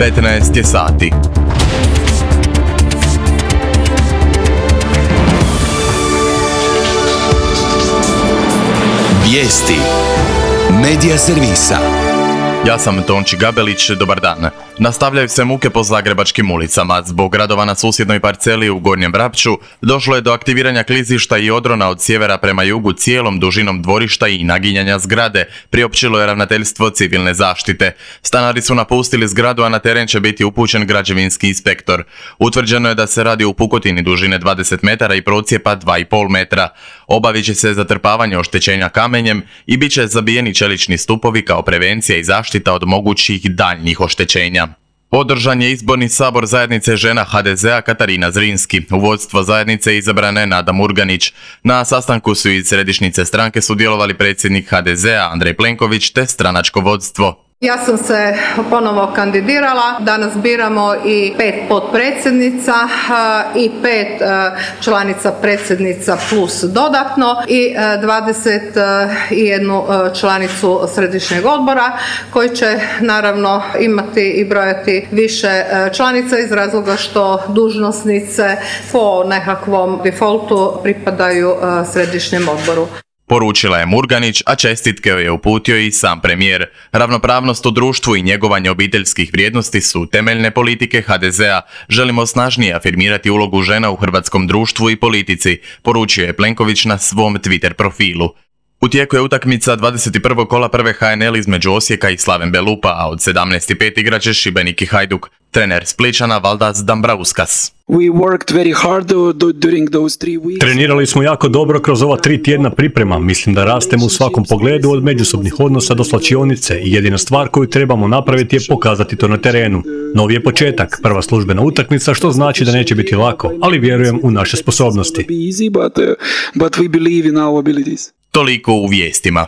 15 je sati. Vijesti Medija servisa. Ja sam Tonči Gabelić, dobar dan. Nastavljaju se muke po zagrebačkim ulicama. Zbog radova na susjednoj parceli u Gornjem Vrapču došlo je do aktiviranja klizišta i odrona od sjevera prema jugu cijelom dužinom dvorišta i naginjanja zgrade, priopćilo je Ravnateljstvo civilne zaštite. Stanari su napustili zgradu, a na teren će biti upućen građevinski inspektor. Utvrđeno je da se radi o pukotini dužine 20 metara i procijepa 2,5 metra. Obavit će se zatrpavanje oštećenja kamenjem i bit će zabijeni čelični stupovi kao prevencija i zaštita od mogućih daljnjih oštećenja. Održan je izborni sabor zajednice žena HDZ-a Katarina Zrinski. U vodstvo zajednice izabrana je Nada Murganić. Na sastanku su iz središnjice stranke sudjelovali predsjednik HDZ-a Andrej Plenković te stranačko vodstvo. Ja sam se ponovo kandidirala, danas biramo i 5 potpredsjednica i 5 članica predsjednica plus dodatno i 21 članicu središnjeg odbora koji će naravno imati i brojati više članica iz razloga što dužnosnice po nekakvom defaultu pripadaju središnjem odboru. Poručila je Murganić, a čestitke joj je uputio i sam premijer. Ravnopravnost u društvu i njegovanje obiteljskih vrijednosti su temeljne politike HDZ-a. Želimo snažnije afirmirati ulogu žena u hrvatskom društvu i politici, poručio je Plenković na svom Twitter profilu. U tijeku je utakmica 21. kola prve HNL između Osijeka i Slaven Belupa, a od 17:05 igraće Šibenik i Hajduk. Trener Spličana Valdas Dambrauskas. Trenirali smo jako dobro kroz ova 3 tjedna priprema. Mislim da rastemo u svakom pogledu od međusobnih odnosa do slačionice i jedina stvar koju trebamo napraviti je pokazati to na terenu. Novi je početak, prva službena utakmica, što znači da neće biti lako, ali vjerujem u naše sposobnosti. Toliko u vijestima.